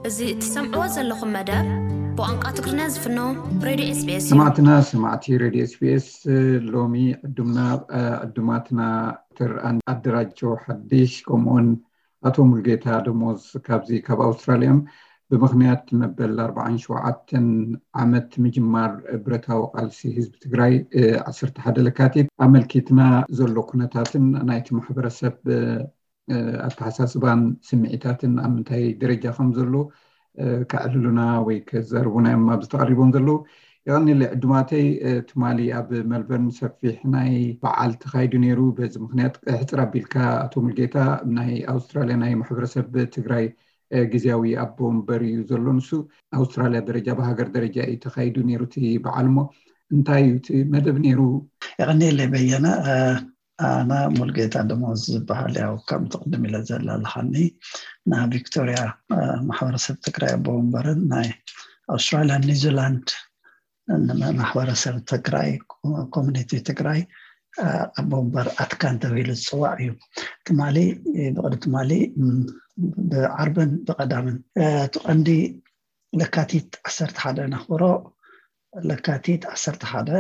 እዚ እትሰምዕዎ ዘለኹም መደብ ብቋንቋ ትግርኛ ዝፍኖ ሬድዮ ኤስቢኤስ እዩ። ሰማዕትና ሰማዕቲ ሬድዮ ኤስቢኤስ፣ ሎሚ ዕዱምና ዕዱማትና ዶክተር ኣደራጀው ሓድሽ ከምኡውን ኣቶ ሙልጌታ ደሞዝ ካብዚ ካብ ኣውስትራልያ እዮም። ብምኽንያት መበል ኣርባዓን ሸውዓተን ዓመት ምጅማር ብረታዊ ቃልሲ ህዝቢ ትግራይ ዓሰርተ ሓደ ለካቲት ኣመልኪትና ዘሎ ኩነታትን ናይቲ ማሕበረሰብ ኣተሓሳስባን ስምዒታትን ኣብ ምንታይ ደረጃ ከም ዘሎ ከዕልሉና ወይ ከዘርቡና እዮም ኣብዚ ተቐሪቦም ዘለዉ። የቐኒለ ዕዱማተይ፣ ትማሊ ኣብ መልበርን ሰፊሕ ናይ በዓል ተኻይዱ ነይሩ። በዚ ምኽንያት ሕፅር ኣቢልካ ኣቶ ሙልጌታ፣ ናይ ኣውስትራልያ ናይ ማሕበረሰብ ትግራይ ግዜያዊ ኣቦ ወንበር እዩ ዘሎ። ንሱ ኣውስትራልያ ደረጃ ብሃገር ደረጃ እዩ ተኻይዱ ነይሩ እቲ በዓል። እሞ እንታይ እዩ እቲ መደብ ነይሩ? የቐኒለይ በየነ። ኣነ ሙልጌታ ደሞዝ ዝበሃል፣ ያው ከምቲ ቅድም ኢለ ዘላልኻኒ፣ ናይ ቪክቶርያ ማሕበረሰብ ትግራይ ኣቦ ወንበርን ናይ ኣውስትራልያ ኒውዚላንድ ማሕበረሰብ ትግራይ፣ ኮሚኒቲ ትግራይ ኣቦ ወንበር ኣትካን ተባሂሉ ዝፅዋዕ እዩ። ትማሊ ብቕዲ ትማሊ ብዓርብን ብቐዳምን እቲ ቀንዲ ለካቲት ዓሰርተ ሓደ ነኽብሮ። ለካቲት ዓሰርተ ሓደ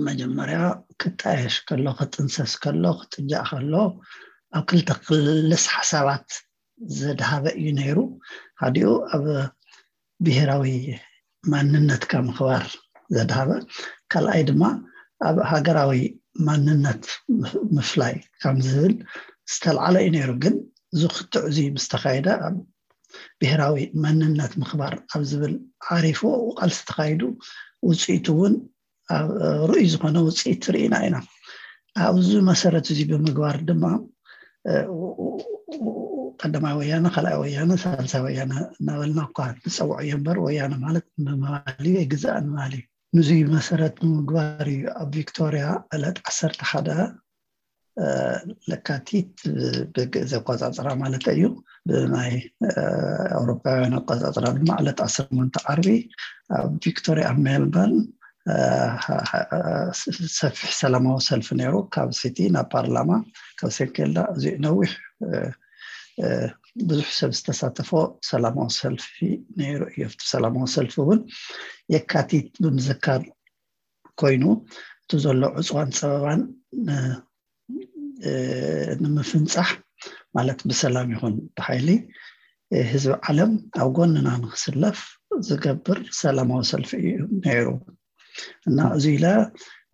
መጀመርያ ክጣየሽ ከሎ፣ ክጥንሰስ ከሎ፣ ክጥጃእ ከሎ ኣብ ክልተ ክልስ ሓሳባት ዘድሃበ እዩ ነይሩ። ሓዲኡ ኣብ ብሄራዊ ማንነትካ ምኽባር ዘድሃበ፣ ካልኣይ ድማ ኣብ ሃገራዊ ማንነት ምፍላይ ከም ዝብል ዝተልዓለ እዩ ነይሩ። ግን እዚ ክትዕ እዚ ምስ ተኻየደ ኣብ ብሄራዊ መንነት ምኽባር ኣብ ዝብል ዓሪፉ ቃልሲ ተኻይዱ፣ ውፅኢቱ እውን ርኡይ ዝኾነ ውፅኢት ርኢና ኢና። ኣብዚ መሰረት እዚ ብምግባር ድማ ቀዳማይ ወያነ፣ ካልኣይ ወያነ፣ ሳልሳይ ወያነ እናበልና እኳ ንፀውዖ እዮ እምበር፣ ወያነ ማለት ምባል እዩ፣ ኣይግዛእን ምባል እዩ። ንዙይ መሰረት ብምግባር እዩ ኣብ ቪክቶርያ ዕለት ዓሰርተ ሓደ ለካቲት ብግእዝ ኣቆፃፅራ ማለት እዩ። ብናይ ኣውሮፓውያን ኣቆፃፅራ ድማ ዕለት ዓሰርተ ሸሞንተ ዓርቢ ኣብ ቪክቶርያ ኣብ ሜልበርን ሰፊሕ ሰላማዊ ሰልፊ ነይሩ። ካብ ሲቲ ናብ ፓርላማ፣ ካብ ሴንኬልዳ እዚ ነዊሕ ብዙሕ ሰብ ዝተሳተፎ ሰላማዊ ሰልፊ ነይሩ እዩ። ኣብቲ ሰላማዊ ሰልፊ እውን የካቲት ብምዝካር ኮይኑ እቲ ዘሎ ዕፅዋን ፀበባን ንምፍንፃሕ ማለት ብሰላም ይኹን ብሓይሊ ህዝቢ ዓለም ኣብ ጎንና ንክስለፍ ዝገብር ሰላማዊ ሰልፊ እዩ ነይሩ እና እዚ ኢለ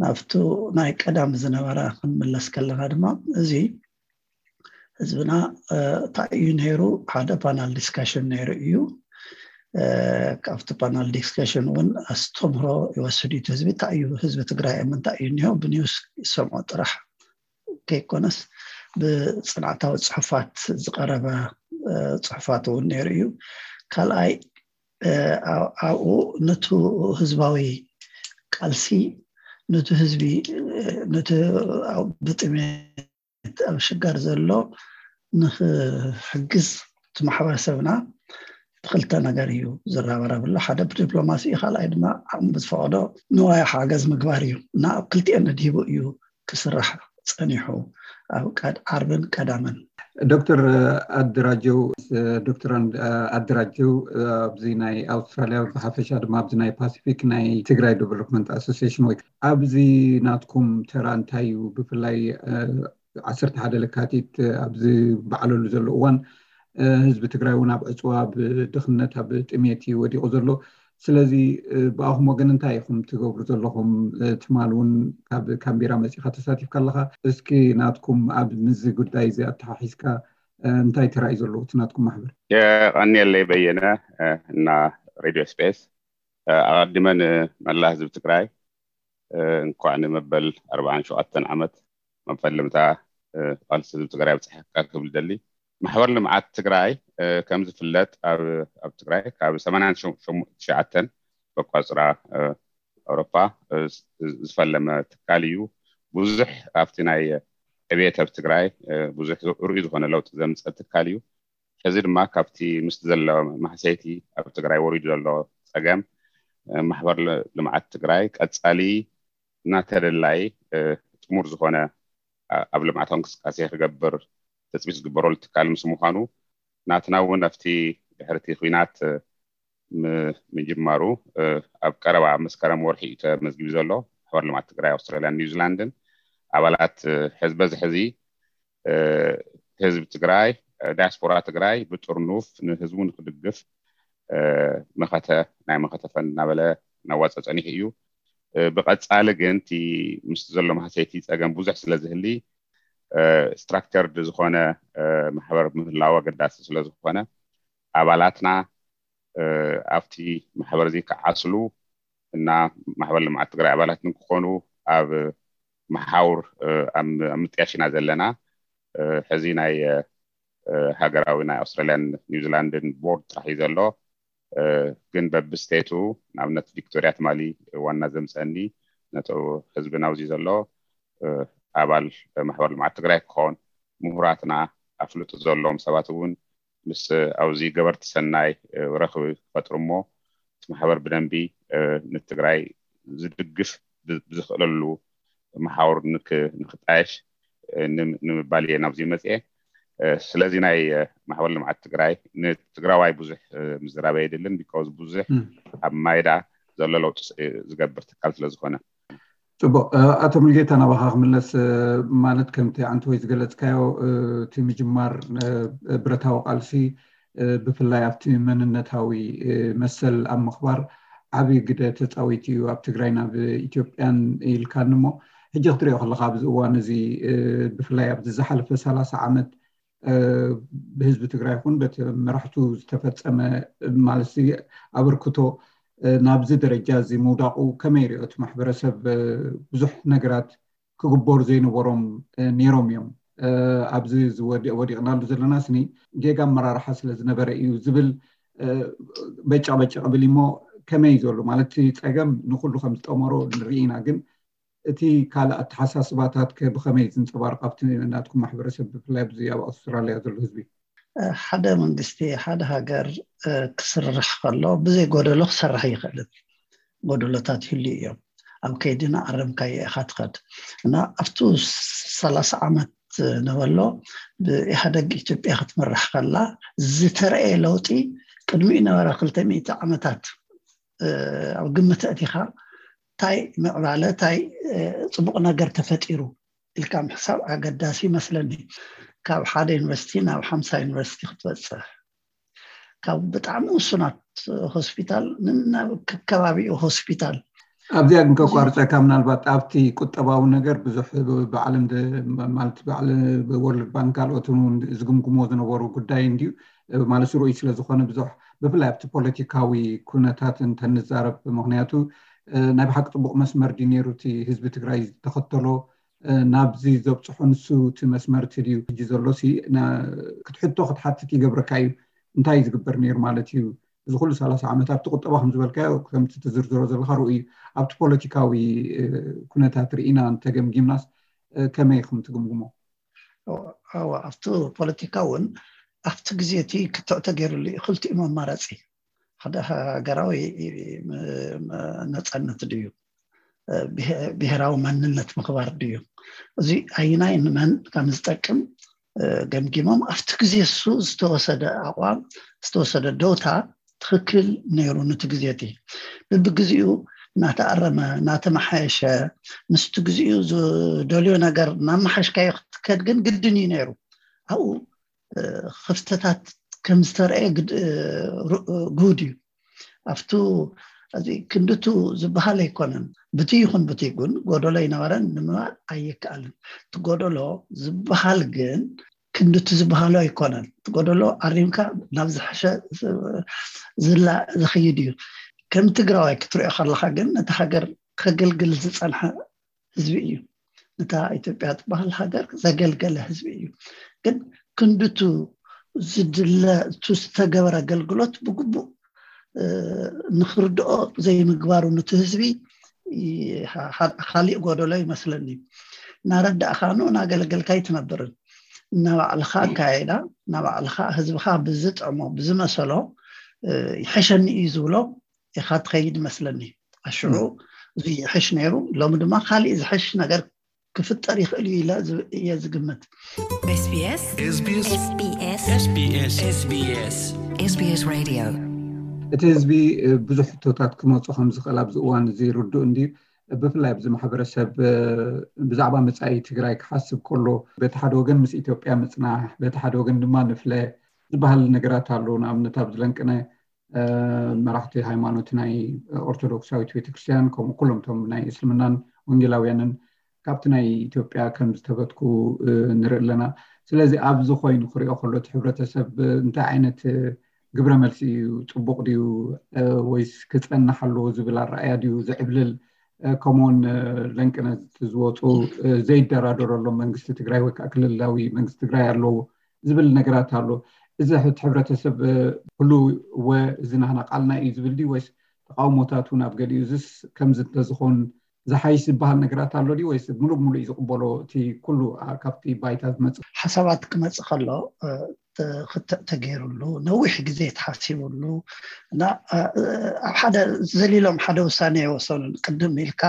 ናብቱ ናይ ቀዳም ዝነበረ ክንምለስ ከለና ድማ እዚ ህዝብና እንታይ እዩ ነይሩ? ሓደ ፓናል ዲስካሽን ነይሩ እዩ። ካብቲ ፓናል ዲስካሽን እውን ኣስተምህሮ ይወስድ እዩ። ህዝቢ እንታይ እዩ፣ ህዝቢ ትግራይ ኣብ ምንታይ እዩ እኒሆ ብኒውስ ይሰምዖ ጥራሕ ከይኮነስ ብፅንዓታዊ ፅሑፋት ዝቀረበ ፅሑፋት እውን ነይሩ እዩ። ካልኣይ ኣብኡ ነቱ ህዝባዊ ቃልሲ ነቱ ህዝቢ ነቲ ብጥሜት ኣብ ሽጋር ዘሎ ንክሕግዝ እቲ ማሕበረሰብና ብክልተ ነገር እዩ ዝረባረብሎ። ሓደ ብዲፕሎማሲ እዩ፣ ካልኣይ ድማ ዓቕሚ ብዝፈቐዶ ንዋይ ሓገዝ ምግባር እዩ እና ኣብ ክልቲኤን ነድሂቡ እዩ ክስራሕ ፀኒሑ ኣብ ዓርብን ቀዳምን። ዶክተር ኣደራጀው ዶክተር ኣደራጀው ኣብዚ ናይ ኣውስትራልያ ብሓፈሻ ድማ ኣብዚ ናይ ፓሲፊክ ናይ ትግራይ ዲቨሎፕመንት ኣሶሲሽን ወይ ኣብዚ ናትኩም ተራ እንታይ እዩ? ብፍላይ ዓሰርተ ሓደ ለካቲት ኣብዚ በዓለሉ ዘሎ እዋን ህዝቢ ትግራይ እውን ኣብ ዕፅዋ ብድኽነት ኣብ ጥሜት እዩ ወዲቑ ዘሎ። ስለዚ ብኣኹም ወገን እንታይ ኢኹም ትገብሩ ዘለኹም? ትማል እውን ካብ ካምቢራ መፂኻ ተሳቲፍካ ኣለኻ። እስኪ ናትኩም ኣብ ምዚ ጉዳይ እዚ ኣተሓሒዝካ እንታይ ተራእዩ ዘለዎ እቲ ናትኩም ማሕበር? የቐንየለይ በየነ እና ሬድዮ ስፔስ። ኣቐድመ ንመላ ህዝቢ ትግራይ እንኳዕ ንመበል ኣርባዓን ሸውዓተን ዓመት መፈለምታ ቃልሲ ህዝቢ ትግራይ ኣብፅሐካ ክብል ደሊ። ማሕበር ልምዓት ትግራይ ከም ዝፍለጥ ኣብ ትግራይ ካብ ሰማንያን ትሽዓተን በቋፅራ ኣውሮፓ ዝፈለመ ትካል እዩ። ብዙሕ ኣብቲ ናይ ዕብየት ኣብ ትግራይ ብዙሕ ርኡይ ዝኾነ ለውጢ ዘምፀ ትካል እዩ። ሕዚ ድማ ካብቲ ምስቲ ዘሎ ማህሰይቲ ኣብ ትግራይ ወሪዱ ዘሎ ፀገም ማሕበር ልምዓት ትግራይ ቀፃሊ እናተደላይ ጥሙር ዝኾነ ኣብ ልምዓታዊ እንቅስቃሴ ክገብር ትፅቢት ዝግበረሉ ትካል ምስ ምዃኑ ናትና እውን ኣብቲ ድሕርቲ ኲናት ምጅማሩ ኣብ ቀረባ መስከረም ወርሒ እዩ ተመዝጊቡ ዘሎ። ማሕበር ልምዓት ትግራይ ኣውስትራልያን ኒውዚላንድን ኣባላት ሕዝበ ዝሕዚ ህዝቢ ትግራይ፣ ዳያስፖራ ትግራይ ብጥርኑፍ ንህዝቡ ንክድግፍ መኸተ ናይ መኸተ ፈንድ እናበለ እናዋፀ ፀኒሑ እዩ። ብቐፃሊ ግን እቲ ምስ ዘሎ ማህሰይቲ ፀገም ብዙሕ ስለዝህሊ ስትራክቸርድ ዝኾነ ማሕበር ምህላው ኣገዳሲ ስለዝኾነ ኣባላትና ኣብቲ ማሕበር እዚ ክዓስሉ እና ማሕበር ልምዓት ትግራይ ኣባላት ንክኾኑ ኣብ መሓውር ኣብ ምጥያሽ ኢና ዘለና። ሕዚ ናይ ሃገራዊ ናይ ኣውስትራልያን ኒውዚላንድን ቦርድ ጥራሕ እዩ ዘሎ። ግን በብስቴቱ ንኣብነት ቪክቶሪያ ትማሊ ዋና ዘምፀኒ ነቲ ህዝቢ ናብዚ ዘሎ ኣባል ማሕበር ልምዓት ትግራይ ክኾን ምሁራትና ኣፍልጡ ዘለዎም ሰባት እውን ምስ ኣብዚ ገበርቲ ሰናይ ረኽቢ ክፈጥሩ እሞ እቲ ማሕበር ብደንቢ ንትግራይ ዝድግፍ ብዝኽእለሉ መሓውር ንክጣየሽ ንምባል እየ ናብዚ መፅኤ። ስለዚ ናይ ማሕበር ልምዓት ትግራይ ንትግራዋይ ብዙሕ ምዝራብ የድልን because ብዙሕ ኣብ ማይዳ ዘሎ ለውጢ ዝገብር ትካል ስለዝኾነ። ፅቡቅ። ኣቶ ሙልጌታ፣ ናባኻ ክምለስ። ማለት ከምቲ ኣንተ ወይ ዝገለፅካዮ እቲ ምጅማር ብረታዊ ቃልሲ ብፍላይ ኣብቲ መንነታዊ መሰል ኣብ ምኽባር ዓብዪ ግደ ተፃዊት እዩ ኣብ ትግራይ ናብ ኢትዮጵያን ኢልካኒ እሞ ሕጂ ክትሪኦ ከለካ ኣብዚ እዋን እዚ ብፍላይ ኣብዚ ዝሓለፈ ሰላሳ ዓመት ብህዝቢ ትግራይ ይኹን በቲ መራሕቱ ዝተፈፀመ ማለት ኣበርክቶ ናብዚ ደረጃ እዚ ምውዳቁ ከመይ ይሪኦ? እቲ ማሕበረሰብ ብዙሕ ነገራት ክግበሩ ዘይነበሮም ነይሮም እዮም። ኣብዚ ወዲቕናሉ ዘለና ስኒ ጌጋ ኣመራርሓ ስለ ዝነበረ እዩ ዝብል በጨቕ በጨቕ ብል እሞ ከመይ ዘሎ ማለት ጸገም ንኩሉ ከም ዝጠመሮ ንርኢ ኢና። ግን እቲ ካልእ ኣተሓሳስባታት ከ ብኸመይ ዝንጸባርቕ ኣብቲ ናትኩም ማሕበረሰብ ብፍላይ ኣብዚ ኣብ ኣውስትራልያ ዘሎ ህዝቢ? ሓደ መንግስቲ ሓደ ሃገር ክስርሕ ከሎ ብዘይ ጎደሎ ክሰርሕ ይኽእልን ጎደሎታት ይህሉ እዮም። ኣብ ከይድና ኣረምካዮ ኢኻ ትኸድ እና ኣብቱ ሰላሳ ዓመት ነበሎ ብኢህደግ ኢትዮጵያ ክትምራሕ ከላ ዝተረኤ ለውጢ ቅድሚኡ ነበረ ክልተ ሚእቲ ዓመታት ኣብ ግምት ኣእቲኻ እንታይ ምዕባለ እንታይ ፅቡቕ ነገር ተፈጢሩ ኢልካ ምሕሳብ ኣገዳሲ ይመስለኒ። ካብ ሓደ ዩኒቨርሲቲ ናብ ሓምሳ ዩኒቨርሲቲ ክትበፅሕ ካብ ብጣዕሚ ውሱናት ሆስፒታል ንናብ ከባቢኡ ሆስፒታል ኣብዚኣ ግን ከቋርፀካ ምናልባት ኣብቲ ቁጠባዊ ነገር ብዙሕ ብዓለም ማለት ወርልድ ባንክ ካልኦትን እውን ዝግምግሞ ዝነበሩ ጉዳይ እንድዩ ማለት ርኡይ ስለዝኾነ ብዙሕ ብፍላይ ኣብቲ ፖለቲካዊ ኩነታት እንተንዛረብ ምክንያቱ ናይ ብሓቂ ፅቡቅ መስመር ድዩ ነይሩ እቲ ህዝቢ ትግራይ ዝተኸተሎ ናብዚ ዘብፅሖ ንሱ እቲ መስመር እቲ ድዩ ሕጂ ዘሎ ክትሕቶ ክትሓትት ይገብረካ እዩ እንታይ ዝግበር ነይሩ ማለት እዩ እዚ ኩሉ ሰላሳ ዓመት ኣብቲ ቁጠባ ከም ዝበልካዮ ከምቲ ትዝርዝሮ ዘለካ ርኡ እዩ ኣብቲ ፖለቲካዊ ኩነታት ርኢና እንተገምጊምናስ ከመይ ኢኹም ትግምግሞ ኣብቲ ፖለቲካ እውን ኣብቲ ግዜ እቲ ክትዕ ተገይሩሉ እዩ ክልቲኡ መማረፂ ሓደ ሃገራዊ ነፃነት ድዩ ብሄራዊ ማንነት ምኽባር ድዩ እዚ ኣይናይ ንመን ከም ዝጠቅም ገምጊሞም ኣብቲ ግዜ እሱ ዝተወሰደ ኣቋም ዝተወሰደ ደውታ ትኽክል ነይሩ ነቲ ግዜ እቲ ብብግዜኡ እናተኣረመ እናተመሓየሸ ምስቲ ግዜኡ ዝደልዮ ነገር እናመሓሽካዮ ክትከድ ግን ግድን እዩ ነይሩ ኣብኡ ክፍተታት ከም ዝተረየ ግሁድ እዩ ኣብቱ ክንድቱ ዝበሃል ኣይኮነን ብቲ ይኹን ብቲ ግን ጎደሎ ይነበረን ንምባል ኣይከኣልን እቲ ጎደሎ ዝበሃል ግን ክንድቲ ዝበሃሉ ኣይኮነን እቲ ጎደሎ ኣሪምካ ናብ ዝሐሸ ዝላ ዝኸይድ እዩ ከም ትግራዋይ ክትሪኦ ከለካ ግን ነቲ ሃገር ከገልግል ዝፀንሐ ህዝቢ እዩ ነታ ኢትዮጵያ ትበሃል ሃገር ዘገልገለ ህዝቢ እዩ ግን ክንድቱ ዝድለ እቱ ዝተገበረ ኣገልግሎት ብግቡእ ንክርድኦ ዘይምግባሩ ነቲ ህዝቢ ካሊእ ጎደሎ ይመስለኒ እናረዳእካ ኑ እናገለገልካ ኣይትነብርን እናባዕልካ ኣካየዳ እናባዕልካ ህዝብካ ብዝጥዕሞ ብዝመሰሎ ይሐሸኒ እዩ ዝብሎ ኢካ ትኸይድ ይመስለኒ ኣሽዑ እዚ ይሐሽ ነይሩ ሎሚ ድማ ካሊእ ዝሐሽ ነገር ክፍጠር ይኽእል እዩ ኢለ እየ ዝግምት። SBS SBS SBS SBS SBS Radio። እቲ ህዝቢ ብዙሕ ሕቶታት ክመፁ ከም ዝኽእል ኣብዚ እዋን እዚ ርዱእ እንድዩ። ብፍላይ ኣብዚ ማሕበረሰብ ብዛዕባ መፃኢ ትግራይ ክሓስብ ከሎ፣ በቲ ሓደ ወገን ምስ ኢትዮጵያ ምፅናሕ፣ በቲ ሓደ ወገን ድማ ንፍለ ዝበሃል ነገራት ኣሎ። ንኣብነት ኣብዚ ለንቅነ መራሕቲ ሃይማኖት ናይ ኦርቶዶክሳዊት ቤተክርስትያን፣ ከምኡ ኩሎም እቶም ናይ እስልምናን ወንጌላውያንን ካብቲ ናይ ኢትዮጵያ ከም ዝተበትኩ ንርኢ ኣለና። ስለዚ ኣብዚ ኮይኑ ክሪኦ ከሎ እቲ ሕብረተሰብ እንታይ ዓይነት ግብረ መልሲ እዩ? ፅቡቕ ድዩ ወይስ ክፀንሕ ኣለዎ ዝብል ኣረኣያ ድዩ ዝዕብልል? ከምኡውን ለንቅነት ዝወፁ ዘይደራደረሎም መንግስቲ ትግራይ ወይ ከዓ ክልላዊ መንግስቲ ትግራይ ኣለዎ ዝብል ነገራት ኣሎ። እዚ እቲ ሕብረተሰብ ኩሉ ወ እዚ ናህና ቃልና እዩ ዝብል ድዩ ወይስ ተቃውሞታት እውን ኣብ ገሊኡ? እዚስ ከምዚ እንተዝኸውን ዝሓይሽ ዝበሃል ነገራት ኣሎ ድዩ ወይስ ሙሉእ ሙሉእ እዩ ዝቕበሎ እቲ ኩሉ ካብቲ ባይታ ዝመፅእ? ሓሳባት ክመፅእ ከሎ ክትዕ ተገይሩሉ ነዊሕ ግዜ ተሓሲቡሉ እና ኣብ ሓደ ዘሊሎም ሓደ ውሳኔ የወሰኑን። ቅድም ኢልካ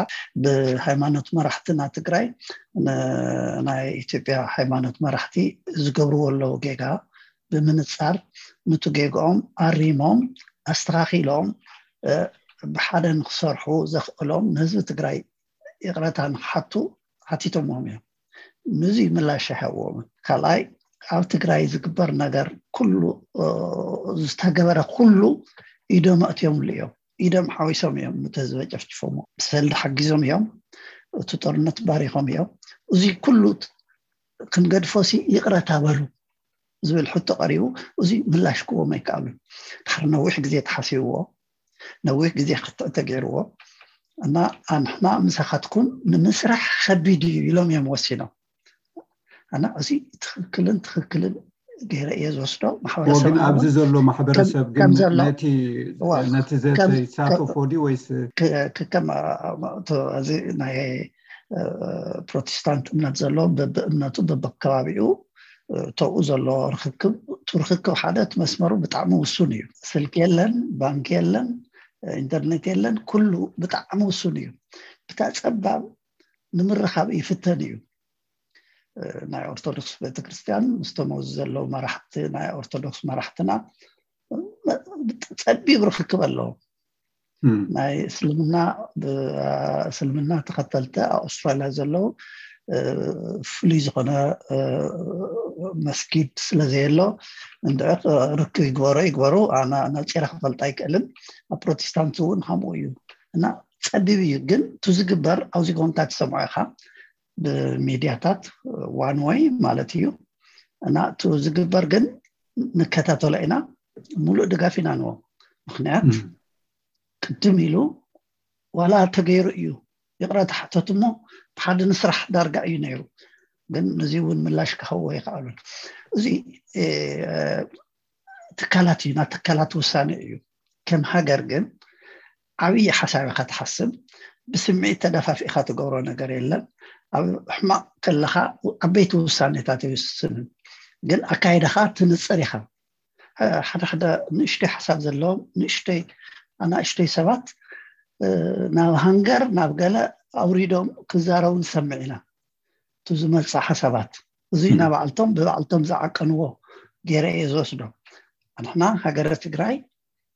ብሃይማኖት መራሕትና ትግራይ ናይ ኢትዮጵያ ሃይማኖት መራሕቲ ዝገብርዎ ኣለዉ ጌጋ ብምንፃር ምቱ ጌግኦም ኣሪሞም ኣስተኻኺሎም ብሓደ ንክሰርሑ ዘኽእሎም ንህዝቢ ትግራይ ይቕረታ ንክሓቱ ሓቲቶምዎም እዮም። ንዚ ምላሽ ኣይሃብዎምን። ካልኣይ ኣብ ትግራይ ዝግበር ነገር ኩሉ ዝተገበረ ኩሉ ኢዶም ኣእትዮምሉ እዮም። ኢዶም ሓዊሶም እዮም እቲ ህዝቢ ጨፍጭፎሞ። ብሰልዲ ሓጊዞም እዮም። እቲ ጦርነት ባሪኾም እዮም። እዚ ኩሉ ክንገድፎሲ ይቕረታ በሉ ዝብል ሕቶ ቀሪቡ፣ እዚ ምላሽ ክዎም ኣይከኣሉን። ድሕሪ ነዊሕ ግዜ ተሓሲብዎ፣ ነዊሕ ግዜ ክትዕ ተገይርዎ እና ኣንሕና ምሳኻትኩም ንምስራሕ ከቢድ እዩ ኢሎም እዮም ወሲኖም። እና እዚ ትኽክልን ትኽክልን ገይረ እየ ዝወስዶ። ማሕበረሰብ ግን ኣብዚ ዘሎ ማሕበረሰብ ግን ነቲ ዘተ ይሳተፎ ድዩ ወይስ ከም ናይ ፕሮቴስታንት እምነት ዘሎ በብእምነቱ በብከባቢኡ ተብኡ ዘሎ ርክክብ እቲ ርክክብ ሓደ እቲ መስመሩ ብጣዕሚ ውሱን እዩ። ስልኪ የለን፣ ባንክ የለን፣ ኢንተርኔት የለን፣ ኩሉ ብጣዕሚ ውሱን እዩ። ብታ ፀባብ ንምርኻብ ይፍተን እዩ። ናይ ኦርቶዶክስ ቤተክርስትያን ምስቶም ኣብዚ ዘለዉ መራሕቲ ናይ ኦርቶዶክስ መራሕትና ፀቢብ ርክክብ ኣለዎም። ናይ እስልምና እስልምና ተኸተልቲ ኣብ ኣውስትራልያ ዘለዉ ፍሉይ ዝኾነ መስጊድ ስለዘየሎ እንድዒ ርክብ ይግበሮ ይግበሩ ኣነ ነፂረ ክፈልጥ ኣይክእልን። ኣብ ፕሮቴስታንት እውን ከምኡ እዩ እና ፀቢብ እዩ። ግን እቲ ዝግበር ኣብዚ ጎንታ ትሰምዖ ኢኻ ብሚድያታት ዋን ወይ ማለት እዩ እና እቲ ዝግበር ግን ንከታተሎ ኢና። ሙሉእ ድጋፍ ኢና ንዎ። ምክንያት ቅድም ኢሉ ዋላ ተገይሩ እዩ ይቕረታ ሓተት እሞ ብሓደ ንስራሕ ዳርጋ እዩ ነይሩ። ግን ነዚ እውን ምላሽ ክኸዎ ይኽኣሉን። እዚ ትካላት እዩ፣ ናይ ትካላት ውሳኔ እዩ። ከም ሃገር ግን ዓብዪ ሓሳብ ኢኻ ትሓስብ። ብስምዒት ተደፋፊእካ ትገብሮ ነገር የለን። ኣብ ሕማቕ ከለኻ ዓበይቲ ውሳኔታት ይውስንን፣ ግን ኣካይዳኻ ትንፅር ኢኻ። ሓደ ሓደ ንእሽተይ ሓሳብ ዘለዎም ንእሽተይ ኣናእሽተይ ሰባት ናብ ሃንገር ናብ ገለ ኣውሪዶም ክዛረቡ ንሰምዕ ኢና። እቲ ዝመፅእ ሓሳባት እዚ ናባዕልቶም ብባዕልቶም ዝዓቀንዎ ገይረ እየ ዝወስዶ። ንሕና ሃገረ ትግራይ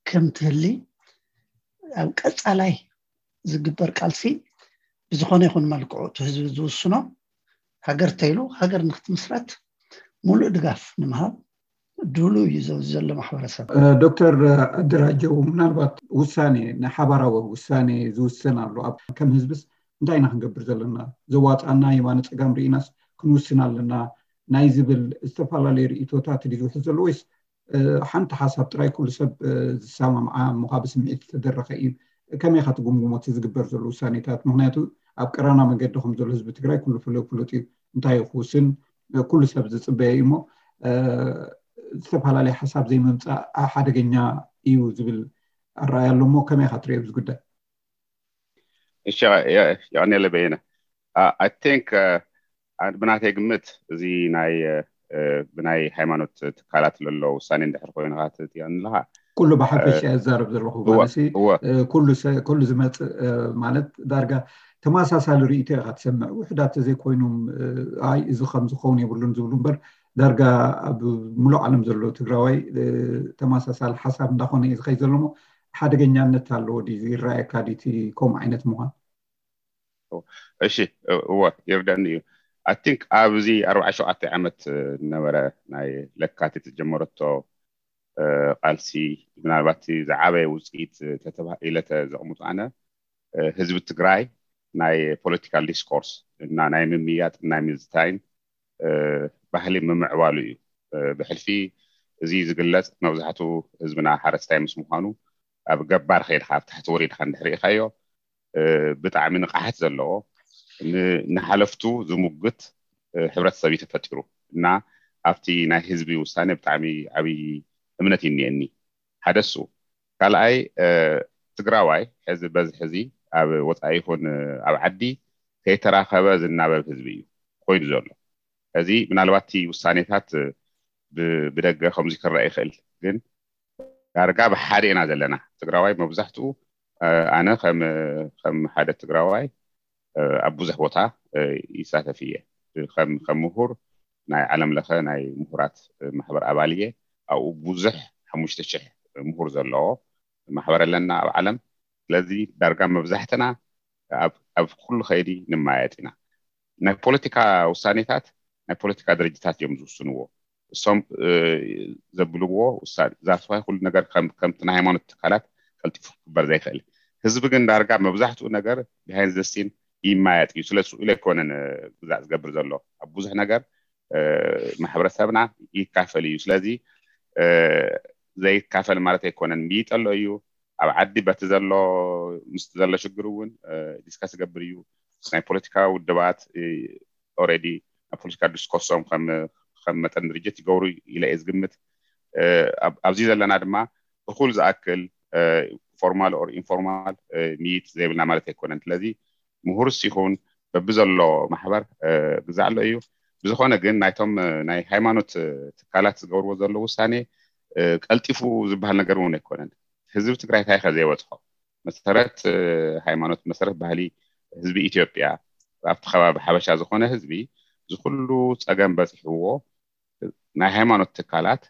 ከም ትህሊ ኣብ ቀፃላይ ዝግበር ቃልሲ ብዝኾነ ይኹን መልክዑ እቲ ህዝቢ ዝውስኖ ሃገር ተይሉ ሃገር ንክትምስረት ሙሉእ ድጋፍ ንምሃብ ድሉ እዩ ዘሎ ማሕበረሰብ። ዶክተር ኣደራጀው፣ ምናልባት ውሳኔ ናይ ሓባራዊ ውሳኔ ዝውሰን ኣሎ። ኣብ ከም ህዝብስ እንታይ ኢና ክንገብር ዘለና? ዘዋፃና የማነ ፀጋም ርኢናስ ክንውስን ኣለና ናይ ዝብል ዝተፈላለዩ ርእቶታት ድዩ ዝውሕዝ ዘሎ ወይስ ሓንቲ ሓሳብ ጥራይ ኩሉ ሰብ ዝሰማምዓ ምዃ ብስምዒት ዝተደረኸ እዩ? ከመይ ኢኻ ትግምግሞ እቲ ዝግበር ዘሎ ውሳኔታት? ምክንያቱ ኣብ ቀራና መገዲ ከም ዘሎ ህዝቢ ትግራይ ኩሉ ፍሉጥ ፍሉጥ እዩ። እንታይ ክውስን ኩሉ ሰብ ዝፅበየ እዩ እሞ ዝተፈላለየ ሓሳብ ዘይምምፃእ ሓደገኛ እዩ ዝብል ኣረኣያ ኣሎ እሞ ከመይ ኢኻ ትሪኦ እዚ ጉዳይ? እሺ፣ የቐኔለ በየነ። I think ብናተይ ግምት እዚ ናይ ብናይ ሃይማኖት ትካላት ዘሎ ውሳኔ እንድሕር ኮይኑ ትብለኒ ኣለኻ፣ ኩሉ ብሓፈሻ እዛረብ ዘለኹ ማለት ኩሉ ዝመፅእ ማለት ዳርጋ እቲ ተመሳሳሊ ርእይቶ ኢኻ ትሰምዕ። ውሕዳት ተዘይኮይኖም፣ እ፣ ኣይ፣ እዚ ከም ዝኸውን የብሉን ዝብሉ እምበር፣ ዳርጋ ኣብ ሙሉእ ዓለም ዘሎ ትግራዋይ፣ እ፣ ተመሳሳሊ ሓሳብ እንዳኾነ እዩ ዝኸይድ ዘሎ እሞ፣ ሓደገኛነት ኣለዎ ድዩ? ይረኣየካ ድዩ እቲ ከምኡ ዓይነት ምዃን? እሺ፣ እወ፣ ይርዳኒ እዩ። I think ኣብዚ ኣርባዓ ሸውዓተ ዓመት ነበረ ናይ ለካቲት ዝጀመረቶ፣ እ፣ ቃልሲ፣ ምናልባት እቲ ዝዓበየ ውፅኢት ተተባሂለ ተዘቕምጡ ኣነ፣ እ፣ ህዝቢ ትግራይ ናይ ፖለቲካል ዲስኮርስ እና ናይ ምምያጥ ናይ ምዝታይን፣ እ፣ ባህሊ ምምዕባሉ እዩ። እ፣ ብሕልፊ እዚ ዝግለጽ መብዛሕቱ ህዝብና ሓረስታይ ምስ ምዃኑ ኣብ ገባር ከይድካ ኣብ ታሕቲ ወሪድካ እንድሕር ርኢኻዮ፣ እ፣ ብጣዕሚ ንቕሓት ዘለዎ ን-፣ ንሓለፍቱ ዝሙግት፣ እ፣ ሕብረተሰብ እዩ ተፈጢሩ እና ኣብቲ ናይ ህዝቢ ውሳኔ ብጣዕሚ ዓብዪ እምነት እዩ እኒኤኒ። ሓደ እሱ። ካልኣይ፣ እ፣ ትግራዋይ ሕዚ በዚ ሕዚ ኣብ ወፃኢ ይኹን ኣብ ዓዲ ከይተራኸበ ዝናበብ ህዝቢ እዩ ኮይኑ ዘሎ። እዚ ምናልባት እቲ ውሳኔታት ብ-፣ ብደገ ከምዚ ክረአ ይኽእል፣ ግን ዳርጋ ብሓደ ኢና ዘለና። ትግራዋይ መብዛሕትኡ፣ እ፣ ኣነ ከም፣ ከም ሓደ ትግራዋይ፣ እ፣ ኣብ ብዙሕ ቦታ፣ እ፣ ይሳተፍ እየ። ከም፣ ከም ምሁር ናይ ዓለም ለኸ ናይ ምሁራት ማሕበር ኣባል እየ። ኣብኡ ብዙሕ ሓሙሽተ ሽሕ ምሁር ዘለዎ ማሕበር ኣለና ኣብ ዓለም። ስለዚ ዳርጋ መብዛሕትና ኣብ፣ ኣብ ኩሉ ከይዲ ንመያየጥ ኢና። ናይ ፖለቲካ ውሳኔታት ናይ ፖለቲካ ድርጅታት እዮም ዝውስንዎ። እሶም፣ እ፣ ዘብልዎ ውሳኔ፣ that's why ኩሉ ነገር ከም፣ ከምቲ ናይ ሃይማኖት ትካላት ቀልጢፉ ክግበር ዘይክእል። ህዝቢ ግን ዳርጋ መብዛሕትኡ ነገር behind the scene ይመያየጥ እዩ። ስለ ስኡ ኢለ ኣይኮነን፣ እ፣ ግዛዕ ዝገብር ዘሎ። ኣብ ብዙሕ ነገር፣ እ፣ ማሕበረሰብና ይካፈል እዩ። ስለዚ፣ እ፣ ዘይካፈል ማለት ኣይኮነን፣ ምይጠሎ እዩ። ኣብ ዓዲ በቲ ዘሎ፣ ምስቲ ዘሎ ሽግር እውን፣ እ፣ ዲስከስ ይገብር እዩ። ናይ ፖለቲካ ውድባት፣ እ፣ ኦልሬዲ ናብ ፖለቲካ ዲስኮርሶም ከም፣ ከም መጠን ድርጅት ይገብሩ ኢለ እየ ዝግምት። እ፣ ኣብ-፣ ኣብዚ ዘለና ድማ እኹል ዝኣክል፣ እ፣ ፎርማል ኦር ኢንፎርማል፣ እ፣ ምይይጥ ዘይብልና ማለት ኣይኮነን። ስለዚ ምሁርስ ይኹን በብዘሎ ማሕበር፣ እ፣ ግዛዕ ኣሎ እዩ። ብዝኾነ ግን ናይቶም፣ እ፣ ናይ ሃይማኖት፣ እ፣ ትካላት ዝገብርዎ ዘሎ ውሳኔ፣ እ፣ ቀልጢፉ ዝበሃል ነገር እውን ኣይኮነን። ህዝቢ ትግራይ እንታይ ከ ዘይበፅሖ? መሰረት፣ እ፣ ሃይማኖት፣ መሰረት ባህሊ ህዝቢ ኢትዮጵያ፣ ኣብቲ ከባቢ ሓበሻ ዝኾነ ህዝቢ፣ እዚ ኩሉ ፀገም በፂሕዎ፣ ናይ ሃይማኖት ትካላት፣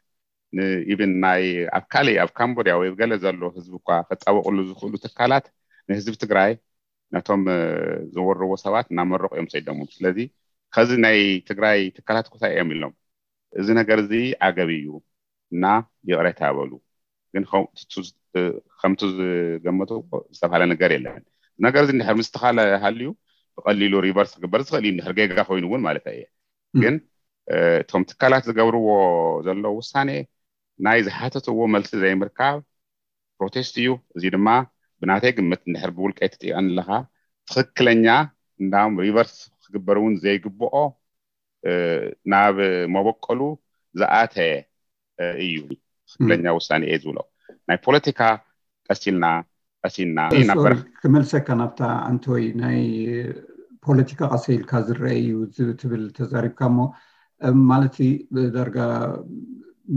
ን-፣ ኢብን ናይ ኣብ ካሊእ፣ ኣብ ካምቦድያ ወይ ገለ ዘሎ ህዝቢ እኳ ከጣበቕሉ ዝኽእሉ ትካላት ንህዝቢ ትግራይ ነቶም፣ እ፣ ዝወርዎ ሰባት እናመረቑ እዮም ሰይዶሞም። ስለዚ ከዚ ናይ ትግራይ ትካላት እኮ እንታይ እዮም ኢሎም? እዚ ነገር እዚ ዓገብ እዩ እና ይቕሬታ በሉ። ግን ከም-፣ ቱ-፣ እ፣ ከምቲ ዝገመቱ ዝተባሃለ ነገር የለን። ነገር እዚ እንድሕር ምስትኻለ ሃልዩ ብቐሊሉ ሪቨርስ ክግበር ዝኽእል እዩ፣ እንድሕር ጌጋ ኮይኑ እውን ማለት እየ። ግን፣ እ፣ እቶም ትካላት ዝገብርዎ ዘለዉ ውሳኔ ናይ ዝሓተትዎ መልሲ ዘይምርካብ ፕሮቴስት እዩ። እዚ ድማ ብናተይ ግምት እንድሕር ብውልቀይ ትጥይቐኒ ኣለኻ፣ ትኽክለኛ እንዳም ሪቨርስ ክግበር እውን ዘይግብኦ፣ እ፣ ናብ መበቆሉ ዝኣተየ፣ እ፣ እዩ ትኽክለኛ ውሳኔ እየ ዝብሎ። ናይ ፖለቲካ ቀሲልና፣ ቀሲልና ኢና ሶሪ፣ በር- ክመልሰካ ናብታ ኣንቶይ ናይ ፖለቲካ ቀሰ ኢልካ ዝረአ እዩ ዝ-፣ ትብል ተዛሪብካ እሞ፣ እም፣ ማለት ዳርጋ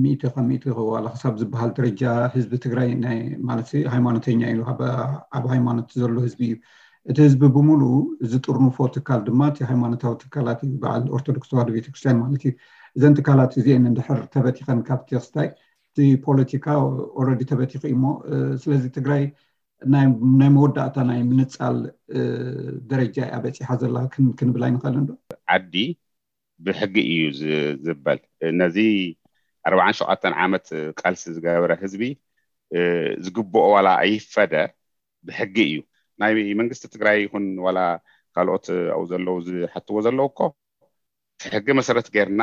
ሚእቲ ካብ ሚእቲ ዋላ ክሳብ ዝበሃል ደረጃ ህዝቢ ትግራይ ናይ፣ ማለት ሃይማኖተኛ እዩ፣ ኣብ፣ ኣብ ሃይማኖት ዘሎ ህዝቢ እዩ። እቲ ህዝቢ ብምሉኡ ዝጥርንፎ ትካል ድማ እቲ ሃይማኖታዊ ትካላት እዩ፣ በዓል ኦርቶዶክስ ተዋህዶ ቤተክርስትያን ማለት እዩ። እዘን ትካላት እዚአን እንድሕር ተበቲኸን ካብቲ ክስታይ እቲ ፖለቲካ ኦልሬዲ ተበቲኹ እዩ እሞ፣ እ፣ ስለዚ ትግራይ ናይ፣ ናይ መወዳእታ ናይ ምንፃል፣ እ፣ ደረጃ እያ በፂሓ ዘላ ክን-፣ ክንብል ኣይንኽእልን ዶ? ዓዲ ብሕጊ እዩ ዝ-፣ ዝበል። ነዚ ኣርባዓን ሸውዓተን ዓመት ቃልሲ ዝገበረ ህዝቢ፣ እ፣ ዝግብኦ ዋላ ኣይፈደ ብሕጊ እዩ። ናይ መንግስቲ ትግራይ ይኹን ዋላ ካልኦት ኣብኡ ዘለዉ ዝሓትዎ ዘለዉ እኮ ሕጊ መሰረት ጌርና፣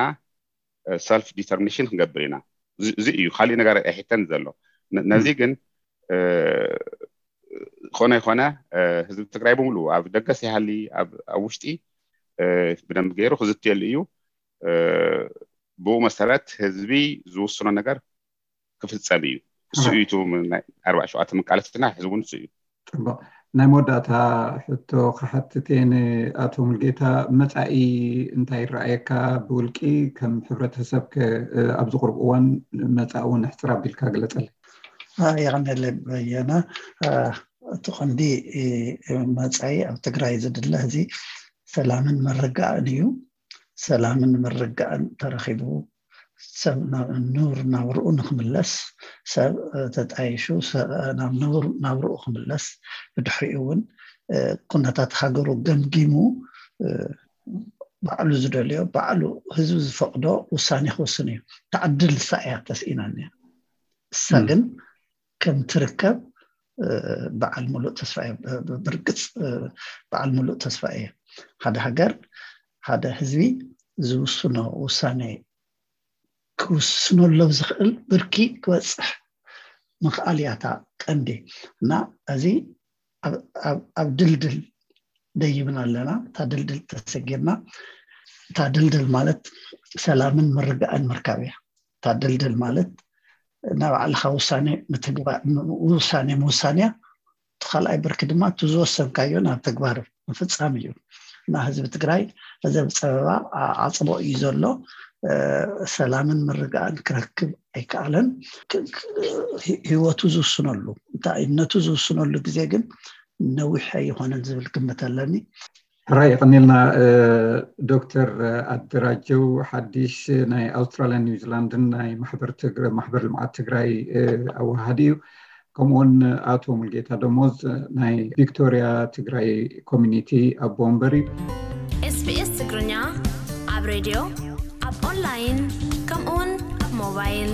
እ፣ ሰልፍ ዲተርሚኔሽን ክንገብር ኢና። እዚ፣ እዚ እዩ፣ ካሊእ ነገር ኣይሕተን ዘሎ። ነ-፣ ነዚ ግን፣ እ፣ ኮነ ይኮነ፣ እ፣ ህዝቢ ትግራይ ብምሉኡ ኣብ ደገስ ይሃሊ ኣብ፣ ኣብ ውሽጢ፣ እ፣ ብደንብ ገይሩ ክዝትየሉ እዩ። እ፣ ብኡ መሰረት ህዝቢ ዝውስኖ ነገር ክፍፀም እዩ። እሱ እዩ እቲ ናይ ኣርባዓ ሸውዓተ መቃለስትና፣ ሕዚ እውን እሱ እዩ። ፅቡቕ። ናይ መወዳእታ ሕቶ ክሓትት እየ ንኣቶ ሙልጌታ፣ መፃኢ እንታይ ይረኣየካ? ብውልቂ ከም ሕብረተሰብ ከ፣ እ፣ ኣብዚ ቁሩብ እዋን መፃኢ እውን ኣሕፅር ኣቢልካ ግለፀለይ። አ፣ የቐንየለይ በየነ። አ፣ እቲ ቀንዲ መፃኢ ኣብ ትግራይ ዝድለ እዚ ሰላምን ምርግጋእን እዩ። ሰላምን ምርግጋእን ተረኺቡ ሰብ ናብ ንቡር ናብርኡ ንክምለስ፣ ሰብ ተጣይሹ ናብ ንቡር ናብርኡ ክምለስ፣ ብድሕሪኡ እውን ኩነታት ሃገሩ ገምጊሙ ባዕሉ ዝደልዮ፣ ባዕሉ ህዝቢ ዝፈቅዶ ውሳኔ ክውስን እዩ። ተዕድል እሳ እያ ተስኢናኒ። እሳ ግን ከም ትርከብ በዓል ሙሉእ ተስፋ እየ። ብርግፅ በዓል ሙሉእ ተስፋ እየ። ሓደ ሃገር፣ ሓደ ህዝቢ ዝውስኖ ውሳኔ ክውስነሎም ዝኽእል ብርኪ ክበፅሕ ምኽኣል እያ እታ ቀንዲ። እና እዚ ኣብ ድልድል ደይብና ኣለና። እታ ድልድል ተሰጊርና፣ እታ ድልድል ማለት ሰላምን ምርግጋእን ምርካብ እያ። እታ ድልድል ማለት ናይ ባዕልኻ ውሳኔ ምውሳን እያ። እቲ ካልኣይ ብርኪ ድማ እቲ ዝወሰንካዮ ናብ ተግባር ምፍፃም እዩ። እና ህዝቢ ትግራይ እዚ ኣብ ፀበባ ዓፅቦ እዩ ዘሎ። ሰላምን ምርግጋእን ክረክብ ኣይከኣለን። ህይወቱ ዝውስነሉ፣ እንታይነቱ ዝውስነሉ ግዜ ግን ነዊሕ ኣይኾነን ዝብል ግምት ኣለኒ። ሕራይ፣ የቐኒልና ዶክተር ኣደራጀው ሓዲሽ ናይ ኣውስትራልያን ኒውዚላንድን ናይ ማሕበር ልምዓት ትግራይ ኣወሃሃዲ እዩ። ከምኡውን ኣቶ ሙልጌታ ደሞዝ ናይ ቪክቶሪያ ትግራይ ኮሚኒቲ ኣቦ ወንበር እዩ። ኤስቢኤስ ትግርኛ ኣብ ሬድዮ፣ ኣብ ኦንላይን፣ ከምኡውን ኣብ ሞባይል